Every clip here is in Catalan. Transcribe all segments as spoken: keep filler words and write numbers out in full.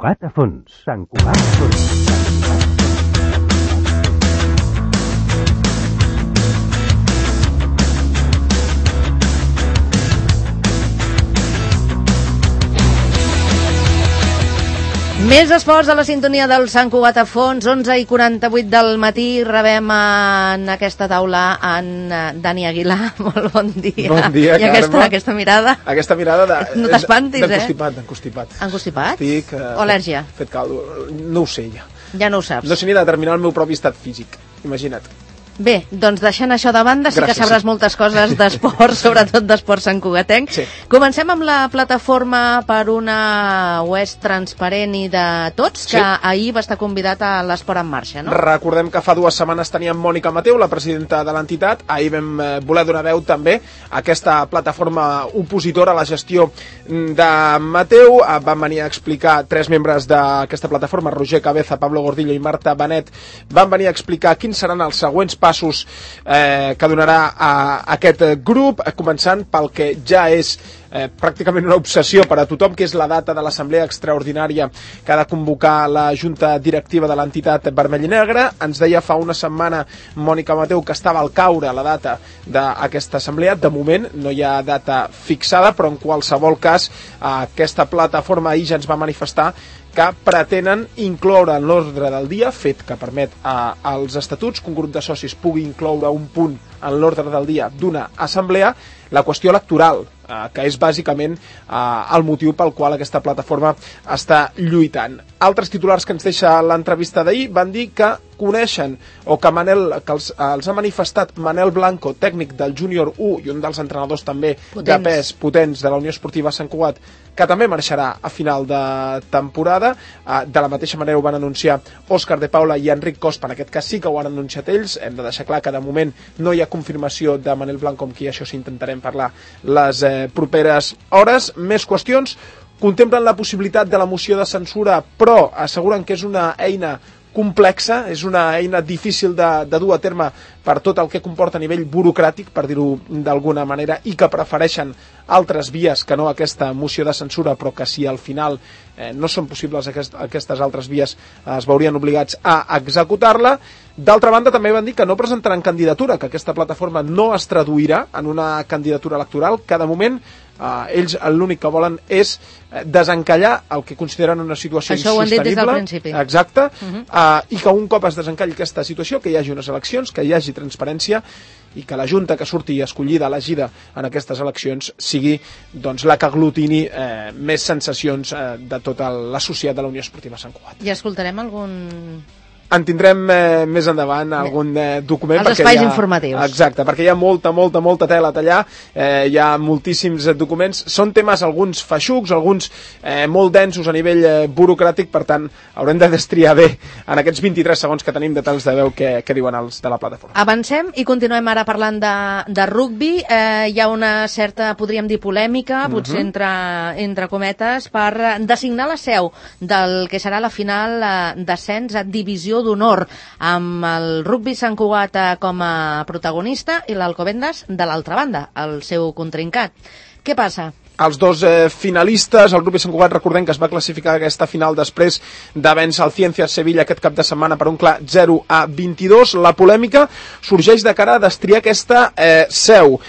Cugat a fons, Sant Cugat a fons. Més esports a la sintonia del Sant Cugat a fons, onze i quaranta-vuit del matí. Rebem en aquesta taula en Dani Aguilar. Molt bon dia. Bon dia, I aquesta, aquesta mirada. Aquesta mirada de... No t'espantis, eh? D'encostipat, d'encostipat. Encostipat? Estic... Uh, o al·lèrgia? Fet caldo. No ho sé, ja. Ja no ho saps. No sé ni determinar el meu propi estat físic. Imagina't. Bé, doncs deixant això de banda, sí Gràcies, que sabràs sí. moltes coses d'esport, sobretot d'esport santcugatenc. Sí. Comencem amb la plataforma per una oest transparent i de tots, que Sí. ahir va estar convidat a l'Esport en Marxa, no? Recordem que fa dues setmanes teníem Mònica Mateu, la presidenta de l'entitat. Ahir vam eh, voler donar veu també a aquesta plataforma opositora a la gestió de Mateu. Eh, van venir a explicar tres membres d'aquesta plataforma, Roger Cabeza, Pablo Gordillo i Marta Benet, van venir a explicar quins seran els següents passos eh, que donarà a, a aquest grup, eh, començant pel que ja és eh, pràcticament una obsessió per a tothom, que és la data de l'assemblea extraordinària que ha de convocar la junta directiva de l'entitat vermell i negre. Ens deia fa una setmana Mònica Mateu que estava al caure la data d'aquesta assemblea. De moment no hi ha data fixada, però en qualsevol cas aquesta plataforma ahir ja ens va manifestar que pretenen incloure en l'ordre del dia, fet que permet a, als estatuts que un grup de socis pugui incloure un punt en l'ordre del dia d'una assemblea, la qüestió electoral, eh, que és bàsicament eh, el motiu pel qual aquesta plataforma està lluitant. Altres titulars que ens deixa l'entrevista d'ahir van dir que coneixen o que, Manel, que els, els ha manifestat Manel Blanco, tècnic del Júnior u i un dels entrenadors també potents. de pes potents de la Unió Esportiva Sant Cugat, que també marxarà a final de temporada. De la mateixa manera ho van anunciar Òscar de Paula i Enric Cospa, en aquest cas sí que ho han anunciat ells. Hem de deixar clar que de moment no hi ha confirmació de Manel Blanco, amb qui això sí intentarem parlar les eh, properes hores. Més qüestions. Contemplen la possibilitat de la moció de censura, però asseguren que és una eina complexa, és una eina difícil de, de dur a terme per tot el que comporta a nivell burocràtic, per dir-ho d'alguna manera, i que prefereixen altres vies que no aquesta moció de censura, però que si al final eh, no són possibles aquest, aquestes altres vies eh, es veurien obligats a executar-la. D'altra banda, també van dir que no presentaran candidatura, que aquesta plataforma no es traduirà en una candidatura electoral, que de moment Uh, ells l'únic que volen és desencallar el que consideren una situació això insostenible. Això ho han dit des del principi. Exacte. Uh-huh. uh, I que un cop es desencalli aquesta situació, que hi hagi unes eleccions, que hi hagi transparència i que la junta que surti escollida, elegida en aquestes eleccions, sigui doncs, la que aglutini eh, més sensacions eh, de tota l'associat de la Unió Esportiva Sant Cugat. I escoltarem algun... En tindrem eh, més endavant algun eh, document. Els espais ha, informatius. Exacte, perquè hi ha molta, molta, molta tela a tallar, eh, hi ha moltíssims eh, documents, són temes alguns feixucs, alguns eh, molt densos a nivell eh, burocràtic, per tant haurem de destriar bé en aquests vint-i-tres segons que tenim de tals de veu que, que diuen els de la plataforma. Avancem i continuem ara parlant de, de rugbi. Eh, hi ha una certa, podríem dir, polèmica, potser uh-huh. entre, entre cometes, per designar la seu del que serà la final eh, d'ascens a divisió d'honor, amb el rugbi Sant Cugat com a protagonista i l'Alcobendas de l'altra banda, el seu contrincat. Què passa? Els dos eh, finalistes, el rugbi Sant Cugat, recordem que es va classificar aquesta final després de vèncer el Ciencias Sevilla aquest cap de setmana per un clar zero a vint-i-dos. La polèmica sorgeix de cara a destriar aquesta eh, seu.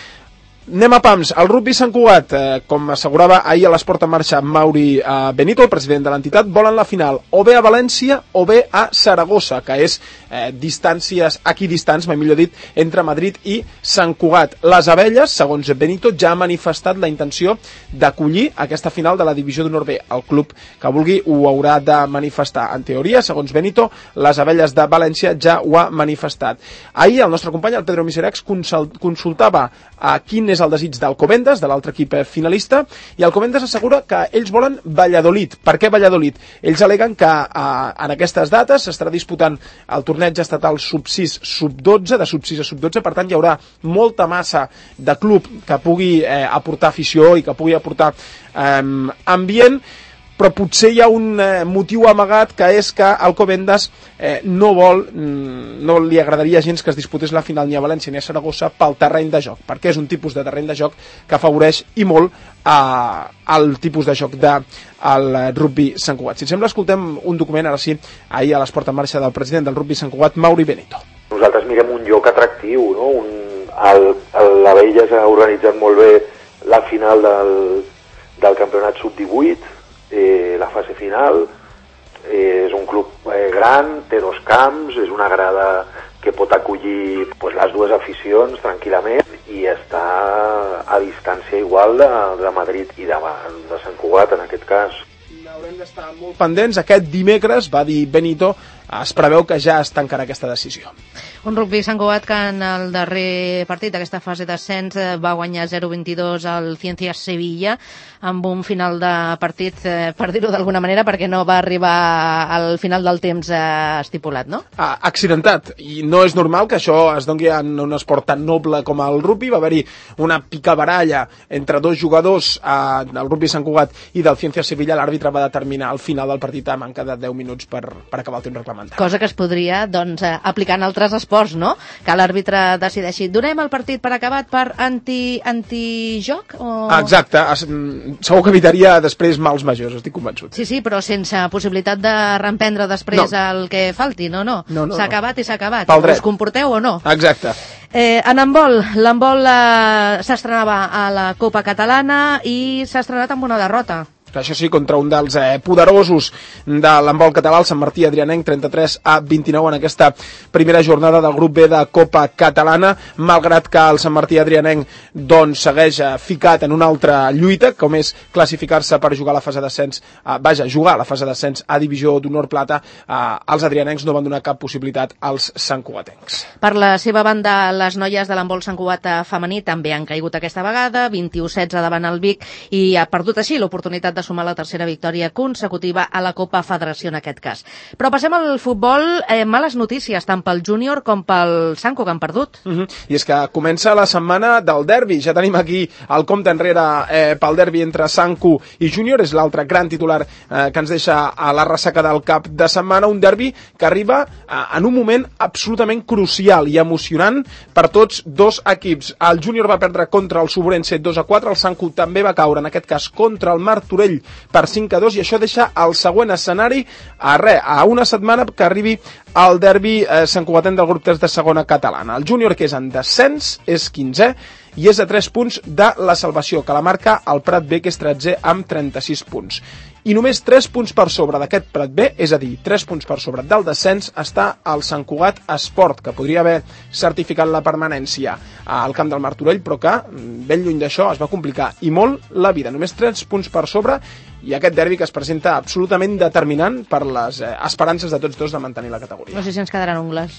Anem a pams. El rugbi Sant Cugat, eh, com assegurava ahir a l'Esport en Marxa Mauri eh, Benito, el president de l'entitat, volen la final o bé a València o bé a Saragossa, que és eh, distàncies equidistants, mai millor dit, entre Madrid i Sant Cugat. Les Abelles, segons Benito, ja ha manifestat la intenció d'acollir aquesta final de la divisió d'honor B. El club que vulgui ho haurà de manifestar. En teoria, segons Benito, les Abelles de València ja ho ha manifestat. Ahir el nostre company, el Pedro Miseracs, consultava a quin és el desig d'Alcobendas, de l'altre equip finalista, i Alcobendas assegura que ells volen Valladolid. Per què Valladolid? Ells aleguen que eh, en aquestes dates s'estarà disputant el torneig estatal sub sis, sub dotze, de sub sis a sub dotze, per tant hi haurà molta massa de club que pugui eh, aportar afició i que pugui aportar eh, ambient. però potser hi ha un eh, motiu amagat, que és que Alcobendas eh, no vol, no li agradaria gens que es disputés la final ni a València ni a Saragossa pel terreny de joc, perquè és un tipus de terreny de joc que afavoreix i molt eh, el tipus de joc del de, rugby Sant Cugat. Si et sembla, escoltem un document, ara sí, ahir a l'Esport en Marxa del president del rugby Sant Cugat, Mauri Benito. Nosaltres mirem un lloc atractiu, no? Un, el, el, l'Abella s'ha organitzat molt bé la final del, del campionat sub divuit, eh, la fase final, eh, és un club eh, gran, té dos camps, és una grada que pot acollir pues, les dues aficions tranquil·lament i està a distància igual de, de Madrid i de, de Sant Cugat en aquest cas. Haurem d'estar molt pendents. Aquest dimecres, va dir Benito, es preveu que ja es tancarà aquesta decisió. Un rugby Sant Cugat que en el darrer partit d'aquesta fase d'ascens va guanyar zero vint-i-dos al Ciencias Sevilla amb un final de partit, eh, per dir-ho d'alguna manera, perquè no va arribar al final del temps eh, estipulat, no? Ah, accidentat, i no és normal que això es doni en un esport tan noble com el rugby. Va haver-hi una picabaralla entre dos jugadors eh, del rugby Sant Cugat i del Ciencias Sevilla. L'àrbitre va determinar al final del partit a manca de deu minuts per, per acabar el temps reglamentari. Cosa que es podria doncs, aplicar en altres esports, no? Que l'àrbitre decideixi. Donem el partit per acabat per anti, antijoc? O... Exacte. Segur que evitaria després mals majors, estic convençut. Sí, sí, però sense possibilitat de reemprendre després no. el que falti. No, no. no, no s'ha no. acabat i s'ha acabat. Us comporteu o no? Exacte. Eh, en handbol, l'handbol eh, s'estrenava a la Copa Catalana i s'ha estrenat amb una derrota. Això sí, contra un dels eh, poderosos de l'handbol català, el Sant Martí Adrianenc, trenta-tres a vint-i-nou en aquesta primera jornada del grup B de Copa Catalana, malgrat que el Sant Martí Adrianenc doncs, segueix eh, ficat en una altra lluita, com és classificar-se per jugar a la fase d'ascens, eh, vaja, jugar a la fase d'ascens a Divisió d'Honor Plata. Eh, els adrianencs no van donar cap possibilitat als santcugatencs. Per la seva banda, les noies de l'handbol Sant Cugat femení també han caigut aquesta vegada, vint-i-u setze davant el Vic, i ha perdut així l'oportunitat de sumar la tercera victòria consecutiva a la Copa Federació en aquest cas. Però passem al futbol, eh, males notícies tant pel júnior com pel Sanco, que han perdut. Uh-huh. I és que comença la setmana del derbi. Ja tenim aquí el compte enrere eh, pel derbi entre Sanco i júnior. És l'altre gran titular eh, que ens deixa a la ressaca del cap de setmana. Un derbi que arriba eh, en un moment absolutament crucial i emocionant per tots dos equips. El júnior va perdre contra el Sobrense dos a quatre. El Sanco també va caure, en aquest cas, contra el Martorell per cinc a dos, i això deixa el següent escenari a res, a una setmana que arribi el derbi eh, santcugatenc del grup tres de segona catalana. El júnior, que és en descens, és quinzè i és a tres punts de la salvació, que la marca el Prat B, que és tretzè amb trenta-sis punts. I només tres punts per sobre d'aquest Prat B, és a dir, tres punts per sobre del descens, està el Sant Cugat Esport, que podria haver certificat la permanència al camp del Martorell, però que, ben lluny d'això, es va complicar i molt la vida. Només tres punts per sobre, i aquest derbi que es presenta absolutament determinant per les eh, esperances de tots dos de mantenir la categoria. No sé si ens quedaran ungles.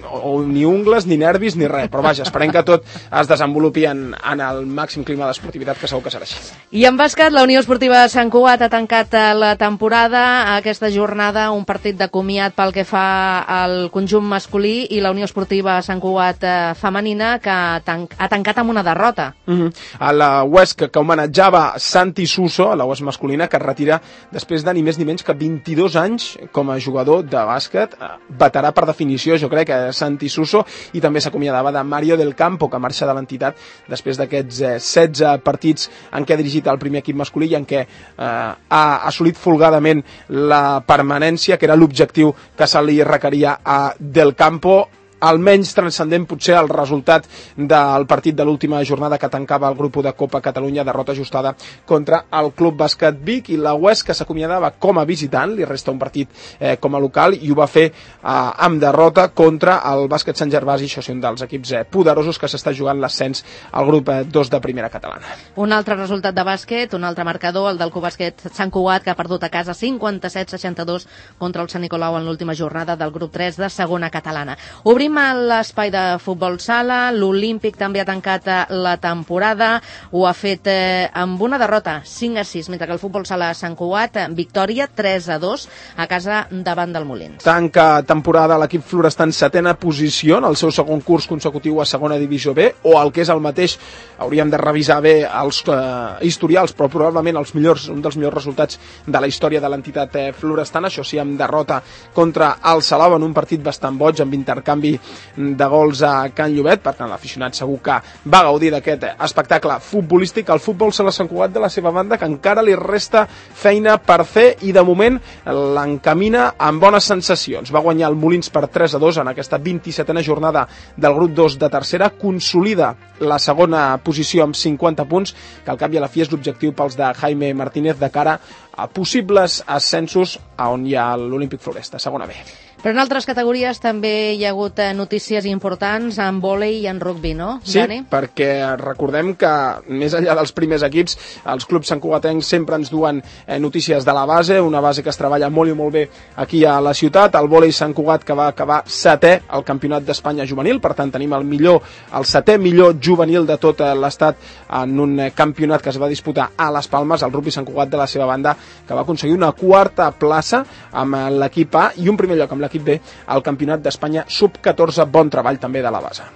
O, o ni ungles, ni nervis, ni res, però vaja, esperem que tot es desenvolupi en, en el màxim clima d'esportivitat, que segur que serà així. I en bàsquet, la Unió Esportiva de Sant Cugat ha tancat la temporada, aquesta jornada, un partit de comiat pel que fa al conjunt masculí, i la Unió Esportiva Sant Cugat femenina, que ha, tanc ha tancat amb una derrota. Uh-huh. A la U E S C, que homenatjava Santi Suso, a la U E S masculina, que es retira després de ni més ni menys que vint-i-dos anys com a jugador de bàsquet, veterà per definició, jo crec, que Santi Suso, i també s'acomiadava de Mario del Campo, que marxa de l'entitat després d'aquests eh, setze partits en què ha dirigit el primer equip masculí i en què eh, ha assolit folgadament la permanència, que era l'objectiu que se li requeria a Del Campo. Almenys transcendent potser el resultat del partit de l'última jornada que tancava el grup de Copa Catalunya, derrota ajustada contra el Club Bàsquet Vic, i la U E S C, que s'acomiadava com a visitant, li resta un partit eh, com a local, i ho va fer eh, amb derrota contra el Bàsquet Sant Gervasi. Això sí, un dels equips eh, poderosos que s'està jugant l'ascens al grup eh, dos de primera catalana. Un altre resultat de bàsquet, un altre marcador, el del Club Bàsquet Sant Cugat, que ha perdut a casa cinquanta-set a seixanta-dos contra el Sant Nicolau en l'última jornada del grup tres de segona catalana. Obrim Tenim l'espai de futbol sala, l'Olímpic també ha tancat la temporada, ho ha fet eh, amb una derrota, cinc a sis, mentre que el futbol sala Sant Cugat, victòria tres a dos a casa davant del Molins. Tanca temporada l'equip florestà en setena posició en el seu segon curs consecutiu a segona divisió B, o el que és el mateix, hauríem de revisar bé els eh, historials, però probablement els millors, un dels millors resultats de la història de l'entitat eh, florestana, això sí, amb derrota contra el Salou en un partit bastant boig, amb intercanvi de gols a Can Llobet. Per tant, l'aficionat segur que va gaudir d'aquest espectacle futbolístic. El futbol sala Sant Cugat, de la seva banda, que encara li resta feina per fer i de moment l'encamina amb bones sensacions. Va guanyar el Molins per tres a dos en aquesta vint-i-setena jornada del grup dos de tercera, consolida la segona posició amb cinquanta punts, que al cap i a la fi és l'objectiu pels de Jaime Martínez de cara a possibles ascensos a on hi ha l'Olímpic Floresta, segona B. Però en altres categories també hi ha hagut notícies importants en vòlei i en rugby, no, sí, Dani? Sí, perquè recordem que més enllà dels primers equips, els clubs santcugatencs sempre ens duen eh, notícies de la base, una base que es treballa molt i molt bé aquí a la ciutat. El vòlei Sant Cugat, que va acabar setè al Campionat d'Espanya juvenil, per tant tenim el millor, el setè millor juvenil de tot l'estat en un campionat que es va disputar a Les Palmes. El rugby Sant Cugat, de la seva banda, que va aconseguir una quarta plaça amb l'equip A i un primer lloc amb l'equip B al Campionat d'Espanya sub catorze. Bon treball també de la base.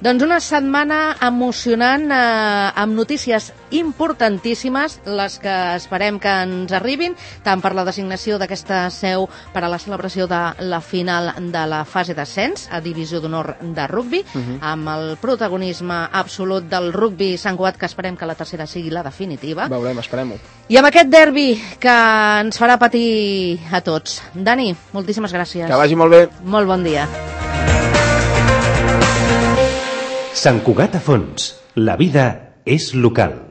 Doncs una setmana emocionant eh, amb notícies importantíssimes, les que esperem que ens arribin, tant per la designació d'aquesta seu per a la celebració de la final de la fase d'ascens a Divisió d'Honor de rugby, uh -huh. amb el protagonisme absolut del rugby Sant Cugat, que esperem que la tercera sigui la definitiva. Veurem, esperem-ho. I amb aquest derbi que ens farà patir a tots. Dani, moltíssimes gràcies. Que vagi molt bé. Molt bon dia. Sant Cugat a fons. La vida és local.